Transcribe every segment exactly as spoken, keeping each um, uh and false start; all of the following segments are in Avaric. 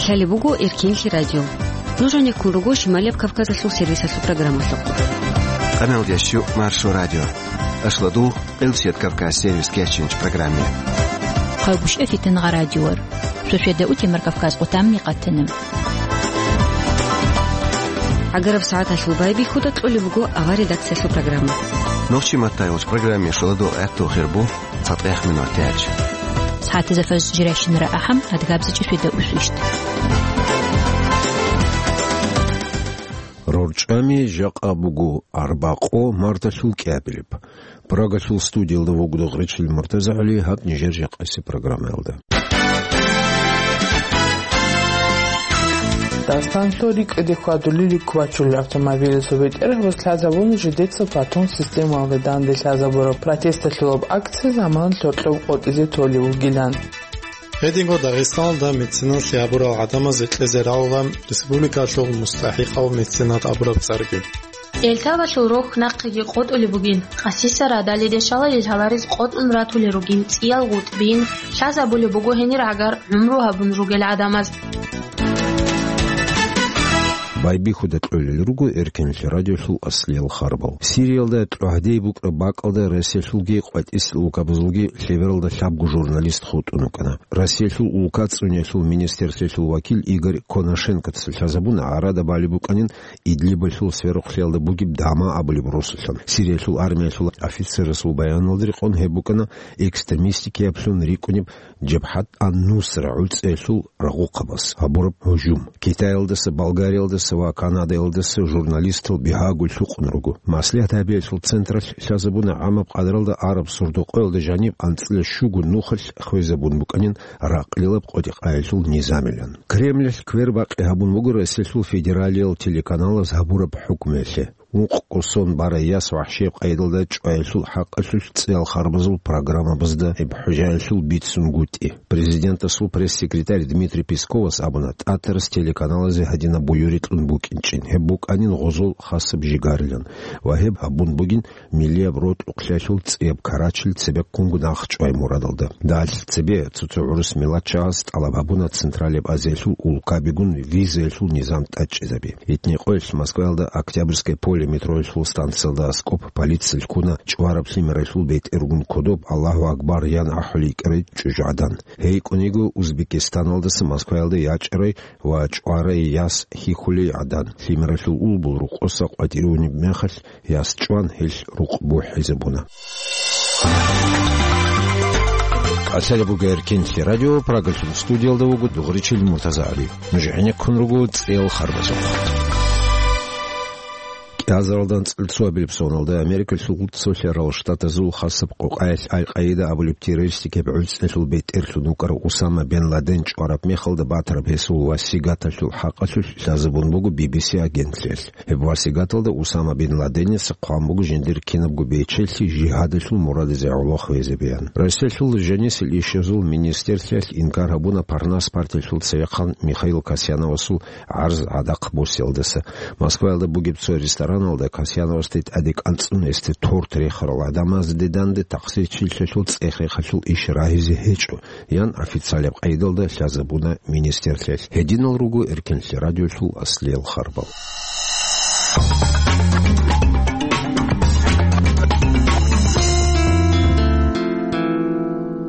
Лъалеб буго Эркинлъи радио. Нуж гьанеккун руго Шималияб Кавказалъул сервисалъул программалъухъ. Къаналдящу Маршо радио. Ашладу, Къилсият Кавказ сервис кечинч программе. Хъалгушев Фитингъа радиор. Шошеда утемар Кавказ къутамни къатана. Агараб сагӀаталъул байбихьуда кьолеб буго ава редакциялъул программа. Нохчи маттайулч программе шоладу гӀехту хирбу. Цадгъех минут тяч. Схатизафаз жиращинара ахӀам, адгабзичӀи шведа усвищт. РорчӀами жакъа буго арбакъо марталъул кӀиабилеб. Прагалъул студиялда вугода Гъречил МуртазагӀали гьаб нижер жакъаси программаялда. Дагъистанлъул рикӀкӀаде хьвадулел руккубачулел автомобилазул бетӀергьабаз лъазабуна жидеца Платон системалда данде лъазабураб протесталъулаб акция заман лъокьоб къотӀизе толев вугилан. Гьединго Дагъистаналда меценат лъабурал гӀадамазе кьезе рагӀула республикалъул мустахӀикъав меценат абураб цӀарги. Элтавалъул рохь нахъеги къотӀулеб бугин, къасиса радалиде шалалил гьаларез къотӀун ратулел ругин цӀиял гъутӀбин, лъазабулеб буго гьенир гӀагар гӀумру гьабун ругел гӀадамаз. Байбихьуда кьолел руго Эркинлъи радиолъул аслиял харбал. Сириялда тӀогьдей букӀараб бакӀалда Россиялъулги къватӀисел улкабазулги лъебералда лъабго журналист хутӀун вукӀана. Россиялъул улка цӀуниялъул министерствоялъул вакил Игорь Конашенкоца лъазабуна гӀарада балеб букӀанин Идлибалъул сверухълъиялда бугеб Дама абулеб росулъан. Сириялъул армиялъул офицерасул баяналда рекъон гьеб букӀана экстремистикиаблъун рикӀкӀунеб Жабхат ан-Нусра гӀуцӀиялъул рагъухъабаз гьабураб гьужум. Китаялдаса, Болгариялдаса ва Канадаялдаса журналистал бигьаго лъукъун руго. Маслигьат гьабиялъул централъ лъазабуна гӀамаб къадралда араб Сурдукъоялда жаниб анцӀила щуго нухалъ хвезабун букӀанин ракълилаб къотӀи-къаялъул низамилан. Кремлалъ квербакъи гьабун буго Россиялъул федералиял телеканалаз гьабураб хӀукмуялъе. Ункъго сон барай яс вахӀшияб къайдалда чӀваялъул хӀакъалъулъ цӀиял харбазул программабазда гьеб хӀужаялъул бицунгутӀи. Президентасул пресс-секретарь Дмитрий Песковас абуна, ТӀатарас телеканалазе гьадинаб буюрикьун букӀинчӀин, гьеб букӀанин гъозол хасаб жигарилан ва гьеб гьабун бугин миллияб рокьукълъиялъул цӀияб карачил цебеккунго нахъчӀвай мурадалда. Далъ цебе цо-цо гӀурус миллатчагӀаз тӀалаб гьабуна Централияб Азиялъул улкабигун визаялъул низам тӀадчӀезаби. Итникъоялъ Москваялда Октябрьское поле метроялъул станциялда аскӀоб полициялъ ккуна чӀвараб лъимералъул бетӀергун кодоб «Аллагьу Акбар» ян ахӀулей йикӀарай чӀужугӀадан. Гьей кӀуниго Узбекистаналдаса Москваялда ячӀарай ва чӀварай яс хьихьулей гӀадан. Лъимералъул улбул рукъоса къватӀирунеб мехалъ, яс чӀван гьелъ рукъ бухӀизабуна. КӀалъалеб буго Эркинлъи радио, Прагалъул студиялда вуго Дугъричил МуртазагӀали. Нуж гӀенеккун руго цӀиял харбазухъ. КӀиазаралда анцӀила цоабилеб соналда Америкалъул Цолъарал Штатазул хасаб къокъаялъ Аль-Къаида абулеб террористикаб гӀуцӀиялъул бетӀерлъун вукӀарав Усама бен Ладен чӀвараб мехалда батараб гьесул васигаталъул хӀакъалъулъ лъазабун буго Би Би Си агентлъиялъ. Гьеб васигаталда Усама бин Ладеница хъван буго жиндир кинабго бечелъи жигьадалъул мурадизе гӀолохъ везабеян. Россиялъул жанисел ишазул министерлъиялъ инкар гьабуна Парнас партиялъул цевехъан Михаил Касьяновасул гӀарз гӀадахъ босиялдаса. Москваялда бугеб цо рестораналда Касьяновасде тӀаде кӀанцӀун гьесде торт рехарал гӀадамазде данде тахсирчилъиялъул цӀех-рехалъул иш рагьизе гьечӀо, ян официалаб къайдалда лъазабуна министерлъиялъ. Гьединал руго Эркинлъи радиолъул аслиял харбал.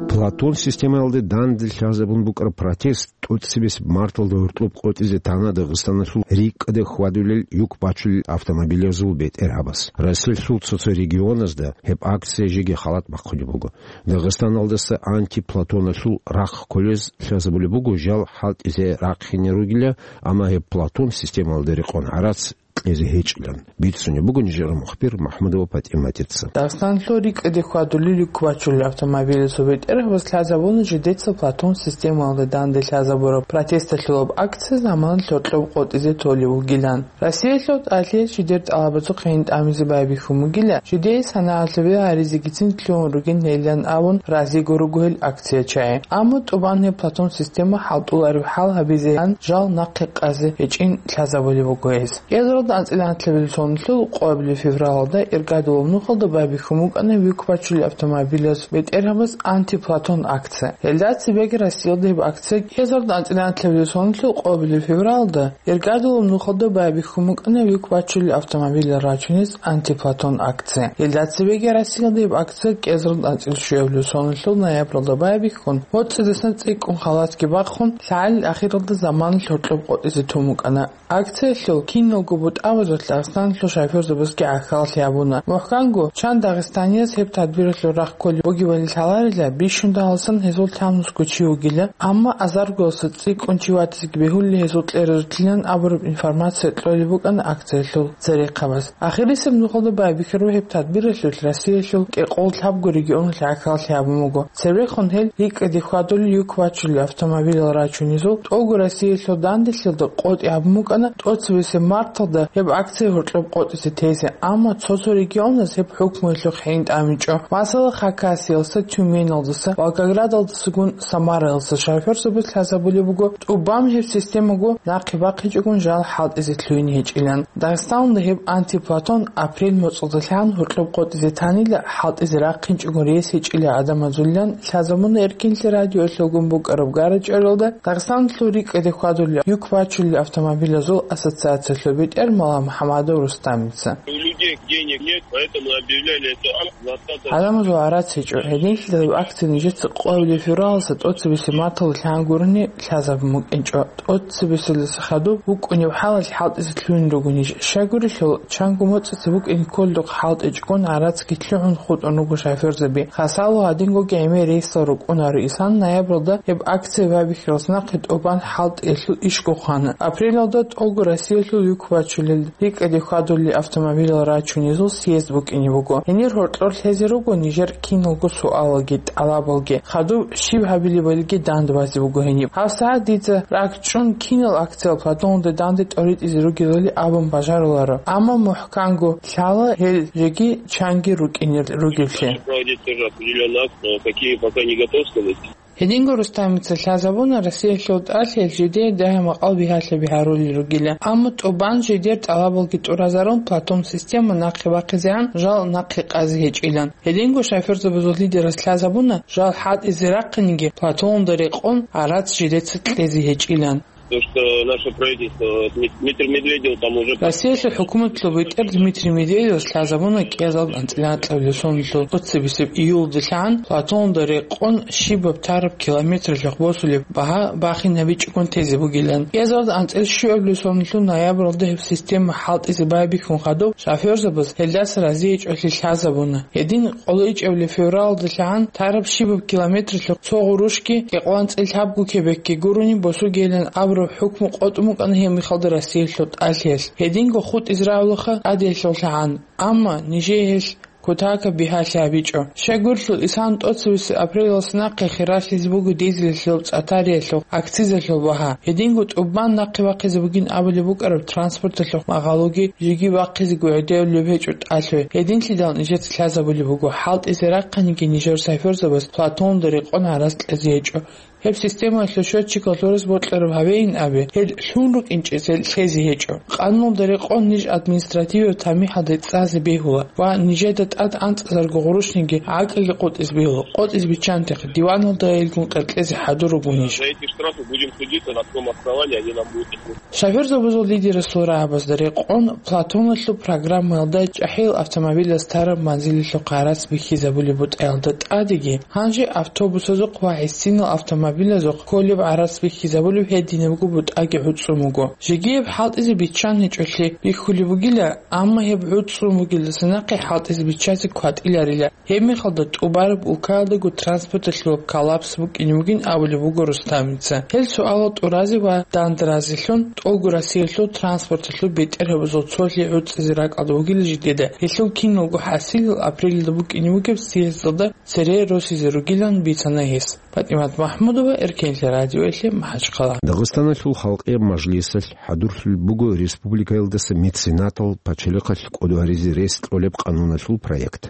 Платон системаялде данде лъазабун букӀараб протест тӀоцебесеб марталда гьоркьоб къотӀизе тана Дагъистаналъул рикӀкӀаде хьвадулел юк бачулел автомобилазул бетӀергьабаз. Россиялъул цо-цо регионазда гьеб акция жеги халат бахъулеб буго. Дагъистаналдаса антиплатоналъул рахъ кколез лъазабулеб буго жал хӀалтӀизе рахъине ругила, амма гьеб платон системалда рекъон гӀарац кьезе гьечӀилан. Бицунеб буго нижер мухбир МахӀмудова ПатӀиматица. Дагъистаналъул рикӀкӀаде хьвадулел юк бачулел автомобилазул бетӀергьабаз лъазабуна жидеца платон системалда данде лъазабураб протесталъулаб акция заман лъокьоб къотӀизе толев вугилан. Россиялъул тӀалъиялъ жидер тӀалабазухъе гьин тӀамизе байбихьун бугила, жидее санагӀалъубе гьаризегицин лъугьун ругин гьелилан абун разиго руго гьел акциячагӀи. Амма тӀубан гьеб платон система хӀалтӀулареб хӀал гьабизеян жал нахъе къазе гьечӀин лъазабулеб буго гьез. КӀиазарал АнцӀила анлъабилеб сонлъул къоабилеб февралалда Иргадулаб нухалда байбихьун букӀана вихьвачулел автомобилаз бетӀергьабаз «Антиплатон» акция. Гьелда цебеги Россиялда гьеб акция кӀиазарда анцӀила анлъабилеб сонлъул къоабилеб февралалда Иргадулаб нухалда байбихьун букӀана вихьвачулел автомобилал рачунез «Антиплатон» акция. Гьелда цебеги Россиялда гьеб акция кӀиазарда анцӀила щуабилеб сонлъул ноябралда байбихьун, моцӀидасан цӀикӀкӀун халатги бахъун, лъагӀалил ахиралда заманалъ гьоркьоб къотӀизе тун букӀана. Акциялъул киналго бутӀабазул Дагъистаналъул шофёрзабазги гӀахьаллъи гьабуна. МухӀканго, чан дагъистанияз гьеб тадбиралъул рахъ кколеб бугебали лъаларила, бищун дагьалсан гьезул лъабнусго чи вугила, амма азаргоялдаса цӀикӀкӀун чи ватизеги бегьулел гьезул кьеразулъилан абураб информация кьолеб букӀана акциялъул церехъабаз. Ахирисеб нухалда байбихьараб гьеб тадбиралъулъ Россиялъул кӀикъоялда лъабго регионалъ гӀахьаллъи гьабун буго. Церехун гьел рикӀкӀаде хьвадулел юк вачулел автомобилал рачунезул тӀолго Россиялъул данделъиялда къотӀи гьабун букӀана тӀоцебесеб марталда гьеб акция гьоркьоб къотӀизе тезе, амма цо-цо регионаз гьеб хӀукмуялъухъ хӀинтӀамичӀо. Масала, Хакасиялдаса, Тюменалдаса, Волгоградалдасагун Самараялдаса шофёрзабаз лъазабулеб буго, тӀубан гьеб системаго нахъе бахъинчӀогун жал хӀалтӀизе лъугьине гьечӀилан. Дагъистаналда гьеб антиплатон апрель моцӀалдалъан гьоркьоб къотӀизе танила, хӀалтӀизе рахъинчӀого рес гьечӀила гӀадамазулилан лъазабуна Эркинлъи радиоялъулгун букӀараб гара-чӀваралда Дагъистаналъул рикӀкӀаде хьвадулел юк бачулел автомобилазул ассоциациялъул бетӀер Мала МухӀамадов Рустамица. У людей денег нет, поэтому объявляли эту акцию двадцатого. ГӀадамазул гӀарац гьечӀо. Гьединлъидал акция нижеца къоабилеб февралалдаса тӀоцебесеб марталда лъан гурони лъазабун букӀинчӀо. ТӀоцебесеб марталдаса хадуб букӀунеб хӀалалъ хӀалтӀизе лъугьун руго ниж. Щайгурелъул, чанго моцӀица букӀине кколдухъ хӀалтӀичӀогун гӀарацги лъугӀун хутӀун руго шофёрзаби. Хасало гьадингоги гӀемер рейсал рукӀунаро исан ноябралда гьеб акция байбихьаралдаса нахъе тӀубан хӀалтӀиялъул ишго хъвана. Апрелалда тӀолго Россиялъул юк бачулел рикӀкӀаде хьвадулел автомобилал рачунезул съезд букӀине буго. Гьенир гьоркьор лъезе руго нижер киналго суалалги тӀалабалги, хадуб щиб гьабилебалиги дандбазе буго гьениб. ГьабсагӀат дица ракӀчӀун кинал акциял платонда данде тӀоритӀизе ругелали абун бажаруларо. Амма мухӀканго лъала гьел жеги чанги рукӀинел ругеблъи. Проводить тоже определённый акт, но какие пока не готов сказать. Гьединго Рустамица лъазабуна Россиялъул тӀалъиялъ жидее дагьа-макъал бигьалъаби гьарулел ругила, амма тӀубан жидер тӀалабалги тӀуразарун платон система нахъе бахъизегӀан жал нахъе къазе гьечӀилан. Гьединго шофёрзабазул лидерас лъазабуна жал хӀалтӀизе рахъинеги платонда рекъон гӀарац жидеца кьезе гьечӀилан. То, что наше правительство, Дмит-, Дмитрий Медведев там уже... Россиялъул хӀукуматалъул бетӀер Дмитрий Медведевас лъазабуна кӀиазарда анцӀила анлъабилеб сонлъул тӀоцебесеб июлалдалъан платонда рекъон щибаб тараб километралъухъ босулеб багьа бахинабичӀогун тезе бугилан. КӀиазарда анцӀила щуабилеб сонлъул ноябралда гьеб система хӀалтӀизе байбихьун хадуб, шофёрзабаз гьелдаса разиячӀолъи лъазабуна. Гьедин къоло ичӀабилеб февралалдалъан тараб щибаб километралъухъ цо гъурущги кӀикъоялда анцӀила лъабго кебекги гурони босугейилан абураб хӀукму къотӀун букӀана гьеб мехалда Россиялъул тӀалъиялъ. Гьединго хутӀизе равлаха тӀадиялъулъагӀан, амма нижее гьелъ кутакаб бигьалъи гьабичӀо. Щайгурелъул, исан тӀоцебесеб апрелалдаса нахъе хиралъизе буго дизелалъул, цӀатариялъул, акцизалъул багьа. Гьединго тӀубан нахъе бахъизе бугин абулеб букӀараб транспорталъухъ магъалоги жеги бахъизего гӀедевлеб гьечӀо тӀалъуй. Гьединлъидал нижеца лъазабулеб буго, хӀалтӀизе рахъинеги нижер шофёрзабаз платонда рекъон гӀарац кьезе гьечӀо. Гьеб системаялъул счётчикал гьораз бокьараб гьавейин абе, гьел лъун рукӀинчӀел лъезе гьечӀо. Къануналда рекъон ниж административаб тамихӀалде цӀазе бегьула ва нижеда тӀад анцӀазарго гъурущниги гӀакълги къотӀизе бегьула. КъотӀизе биччанте, диваналда гьелгун къеркьезе хӀадур руго ниж. За эти штрафы будем судиться, на каком основании они нам будут их... Шофёрзабазул лидерасул рагӀабазда рекъон, платоналъул программаялда чӀахӀиял автомобилаз тараб манзилалъухъ гӀарац бихьизабулеб бутӀаялда тӀадеги, гьанже автобусазухъ ва гӀисинал автомобилазухъ кколеб гӀарац бихьизабулеб гьединабго бутӀаги гӀуцӀун буго. Жеги гьеб хӀалтӀизе биччан гьечӀолъи бихьулеб бугила, амма гьеб гӀуцӀун бугелдаса нахъе хӀалтӀизе биччазе кватӀиларила. Гьеб мехалда тӀубараб улкаялдаго транспорталъулаб коллапс букӀине бугин абулеб буго Рустамица. Гьел суалал тӀуразе ва дандразелъун тӀолго Россиялъул транспорталъул бетӀергьабазул цолъи гӀуцӀизе ракӀалда вугила жидеда, гьелъул киналго хӀасилал апрелалда букӀине бугеб съездалда цере росизе ругилан бицана гьес. ПатӀимат МахӀмудова, Эркенлъи радиоялъе МахӀачхъала. Дагъистаналъул Халкъияб Мажлисалъ хӀадурлъулеб буго республикаялдаса меценатал пачалихъалъ кӀодо гьаризе рес кьолеб къануналъул проект.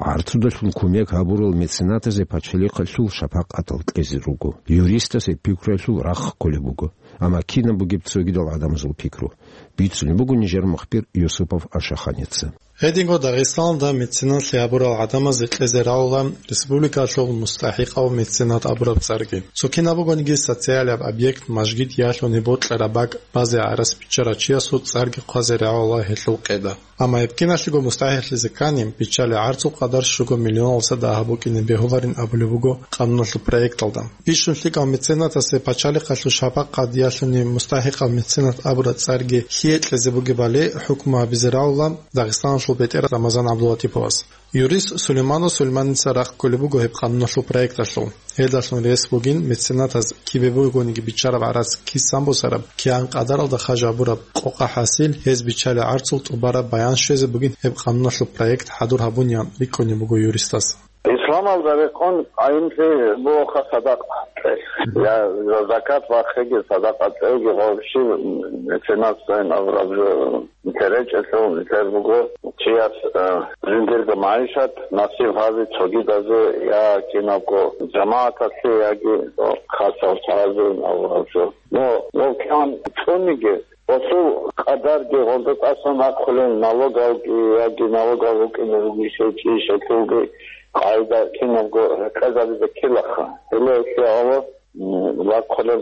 ГӀарцудалъун кумек гьабурал меценатазе пачалихъалъул шапакъатал кьезе руго, юристасе пикруялъул рахъ кколеб буго. Амма кинаб бугеб цогидал гӀадамазул пикру? Бицунеб буго нижер мухбир Юсупов Ашаханица. Гьединго Дагъистаналда меценатлъи гьабурал гӀадамазе кьезе рагӀула республикалъул мустахӀикъав меценат абураб цӀарги. Цо кинаб бугониги социалияб объект, мажгит ялъуни бокьараб бакӀ базе гӀарац биччарав чиясул цӀарги хъвазе рагӀула гьелъул къеда. Амма гьеб киналъего мустахӀикълъизе ккани, биччалел гӀарцул къадар щуго миллионалдаса дагьаб букӀине бегьуларин абулеб буго къануналъул проекталда. Бищун лъикӀав меценатасе пачалихъалъул шапакъат ялъуни мустахӀикъав меценат абураб цӀарги лъие кьезе бугебали хӀукму гьабизе рагӀула Дагъистаналъул бетӀер Рамазан ГӀабдулатиповас. Юрист Сулейманов Сулейманица рахъ кколеб буго гьеб къануналъул проекталъул. Гьелдалъун рес бугин меценатаз кибе бугониги биччараб гӀарац кисан босараб, кигӀан къадаралда хажабураб къокъа хӀасил, гьез биччалел гӀарцул тӀубараб баян щвезе бугин гьеб къануналъул проект хӀадур гьабуниян рикӀкӀунеб буго юристас. Исламалда рекъон къайимлъи бугоха садакъа кьезе. Я за-, закат бахъиги, садакъа кьеги, вообще меценатство абураб жо. Нилъер речӀелъул нилъер буго чияс, э, жиндирго магӀишат насиб гьаби цогидазе я кинабго жамагӀаталъе яги хасав чагӀазе абураб жо. Но, но кигӀан цӀуниги, гъосул къадарги гъолда тӀасан ахъулел налогалги яги налогал рукӀине ругищ гьечӀищ гьелъулги къагӀида кинабго рекъезабизе ккелаха. Гьеле гьелъие гьава М, рахъулеб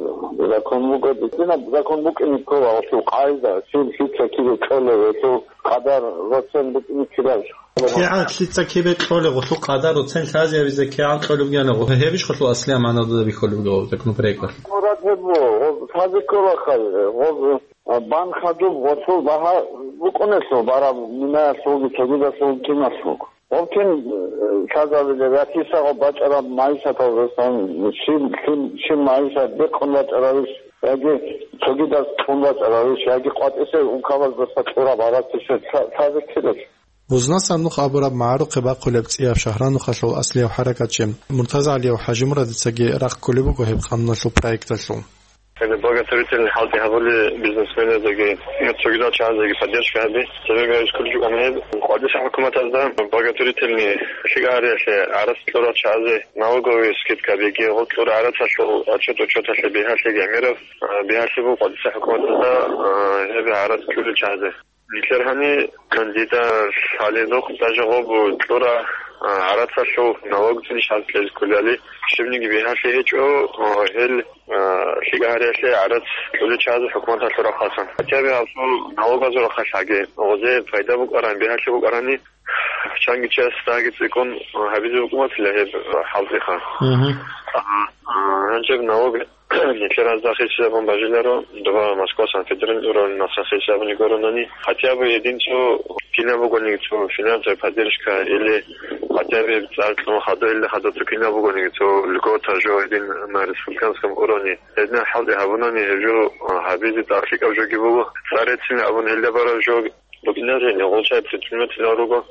закон буго, динаб закон букӀине ккола гьелъул къагӀида, щив лъица кибе кьолев, гьелъул къадар роцен букӀине ккелаб. КигӀан лъица кибе кьолев, гьелъул къадар роцен лъазабизе кигӀан кьолеб гьанав, гьебищ гьелъул аслияб магӀна дуда бихьулеб буго законопроекталъ? Мурад гьеб буго, гъоз лъазе кколаха, гъоз, а, бан хадуб гъолъул багьа букӀунелъул бараб минаялъулги цогидалъул киналъулго. Гъоб кин, э, лъазабилеб, я кисаго бачӀараб магӀишаталдасан щиб, щиб, щиб магӀишат бекъун бачӀаравищ, яги цогидаз кьун бачӀаравищ, яги къватӀисел ункабаздаса кьураб гьаракки щвед лъа-, лъазе ккелелъ? Бузнасан нух абураб магӀарухъе бахъулеб цӀияб Шагьранухалъул аслияб хӀаракатчи МуртазагӀалиев ХӀажимурадицаги рахъ кколеб буго гьеб къануналъул проекталъул. Гьеб благотворительный хӀалтӀи гьабули бизнесменазеги, цогидал чагӀазеги поддержка гьаби, цебеги гьабиз кколчӀукӀана гьеб. КъватӀиса хӀукуматазда благотворительный лъикӀа гьариялъе гӀарац кьурал чагӀазе налоговый скидка беги, гъо кьура гӀарацалъул отчет-учеталъе бигьалъе гӀемераб, а, бигьалъе буго къватӀиса хӀукуматазда, а, гьеб гӀарац кьурал чагӀазе. Нилъер гьани кандидат лъалебухъ даже гъоб кьура, а, гӀарацалъул налог цӀинищ гьаз кьезе кколели, щибниги бигьалъи гьечӀо, а, гьел, а, лъикӀа гьариялъе гӀарац кьулел чагӀазул хӀукуматалъул рахъалъан. Хотя бы гьабсул налогазул рахъалъаги, гъозе пайда букӀаран, бигьалъи букӀарани, чанги чияс дагьги цӀикӀкӀун гьабизе букӀунатила гьеб хӀалтӀиха. Мгм. А, а, гьанже налог Нилъер гьазда хисабун бажиларо, дова Москва, Санкт-Петербург уровень маса хисабуни гуронани, хотя бы гьединцо кинаб бугониги цо финансовая поддержка или хотя бы цӀар кьун хадур, или хадур цо кинаб бугониги цо льгота жо гьедин на республиканском уровне. Гьединал хӀалтӀи гьабунани гьеб жо, а, гьабизе тӀад лъикӀаб жоги буго. Царецин абун гьелда бараб жо Букинарин гъолчай предприниматель руго.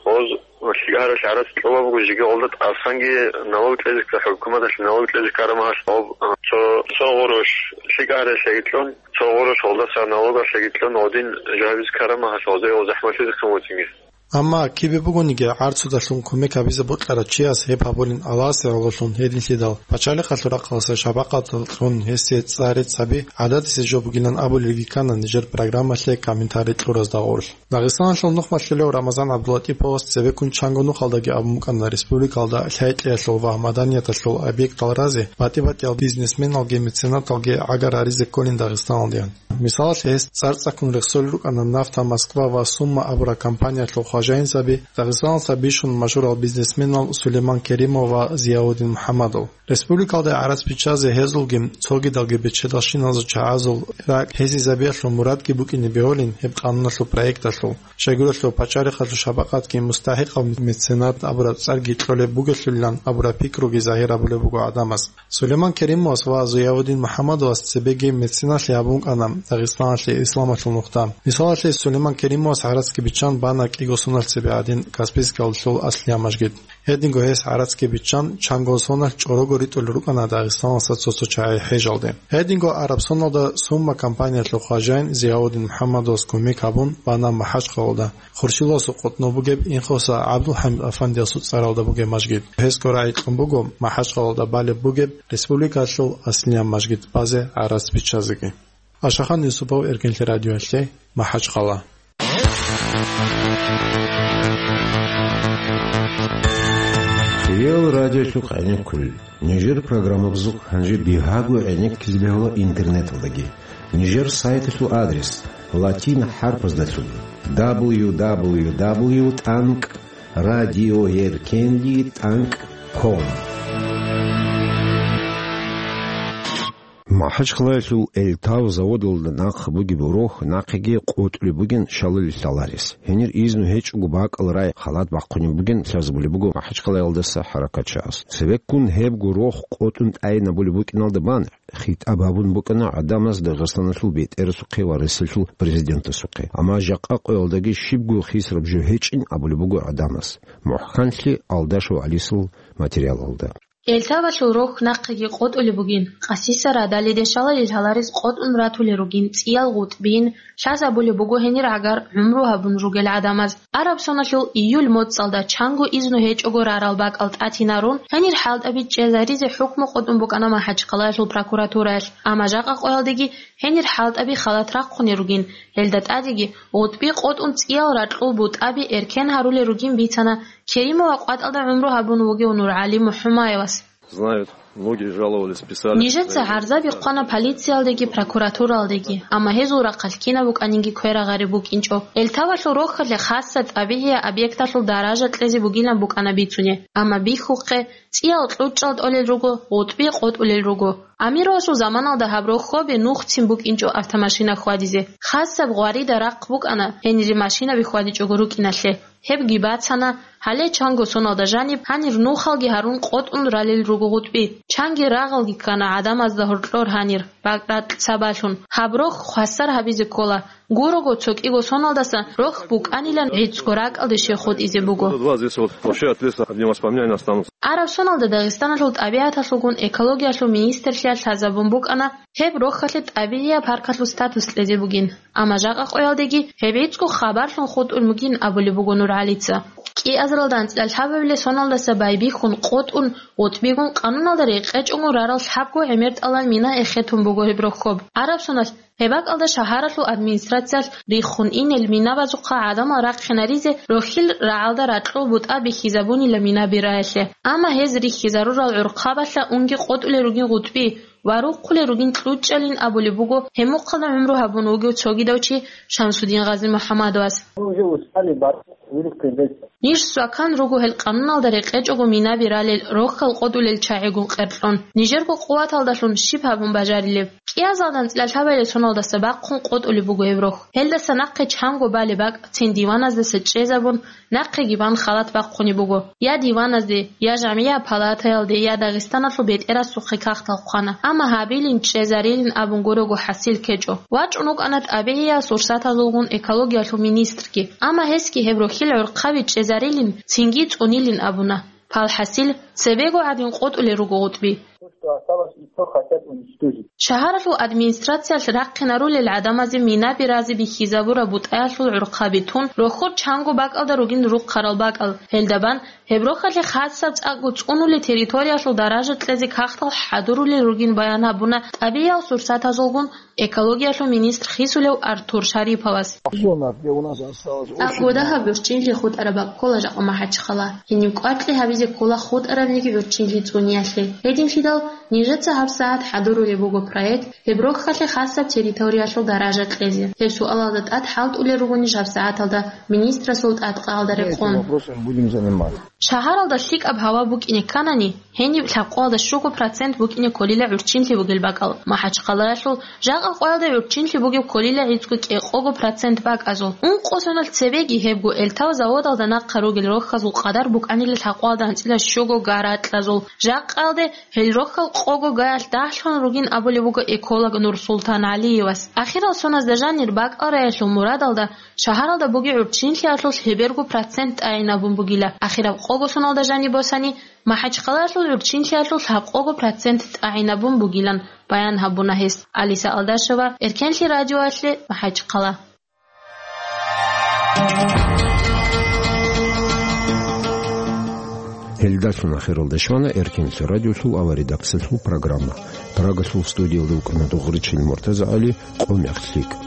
Гъоз лъикӀаралъ гӀарац кьола буго, жеги гъолда тӀасанги налог кьезе ккараб, хӀукуматалъе налог кьезе ккараб махалъ гъоб, цо, цо гъурущ лъикӀаралъеги кьун, цо гъурущ гъолдаса налогалъеги кьун, гъодин жавабиз ккараб махалъ гъозе гъоз захӀмалъизе ккун вугин. Амма кибе бугониги гӀарцудалъун кумек гьабизе бокьарав чияс гьеб гьабулин Аллагьасе гӀололъун гьединлъидал, пачалихъалъул рахъалъа шапакъаталъун гьесие цӀар рецц гьаби гӀадатисе жо бугилан абулелги ккана нижер программалъе комментарий кьуразда гъорлъ. Дагъистаналъул нухмалъулев Рамазан ГӀабдулатӀиповас цебеккун чанго нухалдаги абун букӀана республикалда лъай-кьеялъул ва маданияталъул объектал разе батӀи-батӀиял бизнесменалги меценаталги гӀагар гьаризе кколин Дагъистаналдеян. Мисалалъе, гьес цӀар-цӀаккун рехсолел рукӀана «Нафта Москва» ва «Сумма» абурал компаниялъул хважаинзаби, Дагъистаналда бищун машгьурал бизнесменал Сулейман Керимов ва Зияудин МухӀаммадов. Республикалда гӀарац биччазе гьезулги цогидалги бечедалщиназул чагӀазул ракӀ гьезизабиялъул мурадги букӀине бегьулин гьеб къануналъул проекталъул. Щайгурелъул пачалихъалъул шапакъатги мустахӀикъав меценат абураб цӀарги кьолеб бугелъулилан абураб пикруги загьир гьабулеб буго гӀадамаз. Сулейман Керимовас ва Зиявудин МухӀаммадовас цебеги меценатлъи гьабун букӀана, Дагъистаналъе исламалъул нухда. Мисалалъе, Сулейман Керимовас гӀарацги биччан бана кӀиго соналъ цебе гӀадин Каспийскалъул аслияб мажгит. Гьединго гьес гӀарацги биччан чанго соналъ чӀорого ритӀулел рукӀана Дагъистаналдаса цо-цо чагӀи хӀежалде. Гьединго араб соналда Сумма компаниялъул хважаин Зияудин МухӀаммадовас кумек гьабун бана МахӀачхъалалда. Хуршиласул къотӀнов бугеб Инхоса ГӀабдулхӀамид Афандиясул цӀаралда бугеб мажгит. Гьесго рагӀи кьун буго МахӀачхъалалда балеб бугеб республикалъул аслияб мажгит базе гӀарац биччазеги. Ашахан Юсупов, Эркенлъи радиоялъе, МахӀачхъала. Хиял радиолъухъ гӀенеккулел. Нижер программабазухъ гьанже бигьаго гӀенеккизе бегьула интернеталдаги. Нижер сайталъул адрес латин хӀарпаздалъун: дабл ю дабл ю дабл ю тӀанкӀ радиоеркенли тӀанкӀ ком. МахӀачхъалаялъул Эльтав заводалда нахъ бугеб рохь нахъеги къотӀулеб бугин шалалил лъаларес. Гьенир изну гьечӀого бакӀал рай халат бахъунеб бугин лъазабулеб буго МахӀачхъалаялдаса хӀаракатчагӀаз. Цебеккун гьебго рохь къотӀун тӀайинабулеб букӀиналда бан хитӀаб гьабун букӀана гӀадамаз Дагъистаналъул бетӀерасухъе ва Россиялъул президентасухъе. Амма жакъа къоялдаги щибго хисраб жо гьечӀин абулеб буго гӀадамаз. МухӀканлъи Алдашев ГӀалисул материалалда. Эльтавалъул рохь нахъеги къотӀулеб бугин, къасиса радалиде шалалил лъаларес къотӀун ратулел ругин цӀиял гъутӀбин, лъазабулеб буго гьенир гӀагар гӀумру гьабун ругел гӀадамаз. Араб соналъул июль моцӀалда чанго изну гьечӀого рарал бакӀал тӀатинарун, гьенир хӀалтӀаби чӀезаризе хӀукму къотӀун букӀана МахӀачхъалаялъул прокуратураялъ, амма жакъа къоялдеги гьенир хӀалтӀаби халат рахъунел ругин, гьелда тӀадеги гъутӀби къотӀун цӀиял ракьул бутӀаби эркен гьарулел ругин бицана Керимова къватӀалда гӀумру гьабун вугев НургӀали МухӀумаевас. Знают, многие жаловались, писали. Нижеца гӀарзаби хъвана полициялдеги прокуратуралдеги, амма гьезул рахъалъ кинаб букӀанинги кверагъареб букӀинчӀо. Эльтавалъул рохьалъе хасса тӀабигӀияб объекталъул даража кьезе бугилан букӀана бицунеб, амма бихьухъе, цӀиял кьучӀал тӀолел руго, гъутӀби къотӀулел руго. Амировасул заманалда гьаб рохьобе нухцин букӀинчӀо автомашина хьвадизе. Хасаб гъварида рахъ букӀана гьенире машинаби хьвадичӀого рукӀиналъе. Гьебги бацана, гьале чанго соналда жаниб гьанир нухалги гьарун къотӀун ралел руго гъутӀби. Чанги рагъалги ккана гӀадамазда гьоркьор гьанир, бакӀракь сабаблъун. Гьаб рохь хвасар гьабизе ккола. Гурого цо кӀиго соналдаса рохь букӀанилан гӀицӀго ракӀалде щай хутӀизе буго. Два здесь вот вообще от леса одни воспоминания останутся. Араб соналда Дагъистаналъул тӀабигӀаталъулгун экологиялъул министрлъиялъ лъазабун букӀана, гьеб рохьалъе тӀабигӀияб паркалъул статус кьезе бугин. Амма жакъа къоялдеги гьеб гӀицӀго хабарлъун хутӀун бугин абулеб буго НургӀалица. КӀиазаралда анцӀила лъабабилеб соналдаса байбихьун къотӀун, гъутӀбигун къануналда рекъечӀого рарал лъабго гӀемер тӀалаб мина эхетун буго гьеб рохьоб. Араб соналъ гьеб бакӀалда шагьаралъул администрациялъ риххун инел минабазухъа гӀадамал рахъинаризе рохьил рагӀалда ракьул бутӀа бихьизабунила минаби раялъе. Амма гьез рихьизарурал гӀурхъабалъа унги къотӀулел ругин гъутӀби ва рухъулел ругин кьучӀалин абулеб буго гьеб мухъалда гӀумру гьабун вугев цогидав чи Шамсудин Гъазимухьамадовас. Мы уже устали бороться, вылезти из. Ниж свакан руго гьел къануналда рекъечӀого минаби ралел рохьал къотӀулел чагӀигун къеркьун. Нижерго къуваталдалъун щиб гьабун бажарилеб? КӀиазалда анцӀила лъабабилеб соналдаса бахъун къотӀулеб буго гьеб рохь. Гьелдаса нахъе чанго балеб бакӀ цин диваназдаса чӀезабун, нахъеги бан халат бахъунеб буго. Я диваназде, я жамгӀияб палатаялде, я Дагъистаналъул бетӀерасухъе кагътал хъвана. Амма гьабилин, чӀезарилин абун гурого хӀасил ккечӀо. ВачӀун вукӀана тӀабигӀиял сурсатазулгун экологиялъул министрги. Амма гьесги гьеб рохьил гӀурхъаби чӀезарилин, цинги цӀунилин абуна. ПалхӀасил, цебего гӀадин къотӀулел руго гъутӀби. Шагьаралъул администрациялъ рахъинарулел гӀадамазе минаби разе бихьизабураб бутӀаялъул гӀурхъаби тун, рохьор чанго бакӀалда ругин рухъарал бакӀал. Гьелда бан, гьеб рохьалъе хасаб цӀакъго цӀунулел территориялъул даража кьезе кагътал хӀадурулел ругин баян гьабуна тӀабигӀиял сурсатазулгун экологиялъул министр хисулев Артур Шариповас. Зона, где у нас осталось очень мало. ТӀакӀго дагьаб гӀурччинлъи хутӀараб бакӀ ккола жакъа МахӀачхъала. Гьениб кӀваркьи гьабизе ккола хутӀарабниги гӀурччинлъи цӀуниялъе. Гьединлъидал нижеца гьабсагӀат хӀадурулеб буго проект гьеб рохьалъе хасаб территориялъул даража кьезе. Гьеб суалалда тӀад хӀалтӀулел руго ниж гьабсагӀаталда министрасул тӀадкъаялда рекъон. Этим вопросом будем заниматься. Шагьаралда лъикӀаб гьава букӀине кканани, гьениб лъабкъоялда щуго процент букӀине кколила гӀурччинлъи бугел бакӀал. МахӀачхъалаялъул жакъа къоялда гӀурччинлъи бугеб кколила гӀицӀго кӀекъого процент бакӀазул. Ункъо соналъ цебеги гьебго элтал заводалда нахъа ругел рохьазул къадар букӀанила лъабкъоялда анцӀила щуго га ракьазул. Жакъаялде гьел рохьал къого гаялъ дагьлъун ругин абулеб буго эколог Нурсултан ГӀалиевас. Ахирал соназда жанир бакӀал раялъул мурадалда шагьаралда бугеб гӀурччинлъиялъулъ гьеберго процент тӀагӀинабун бугила. Ахираб къого соналда жаниб босани, МахӀачхъалаялъул гӀурччинлъиялъулъ лъабкъого процент тӀагӀинабун бугилан баян гьабуна гьес. Алиса Алдашева, Эркенлъи радиоялъе, МахӀачхъала. Гьелдалъун ахиралда щвана Эркенлъи радиолъул аваридаксалъул программа. Прагалъул студиялда вукӀана Дугъричил МуртазагӀали, къо мехлъи.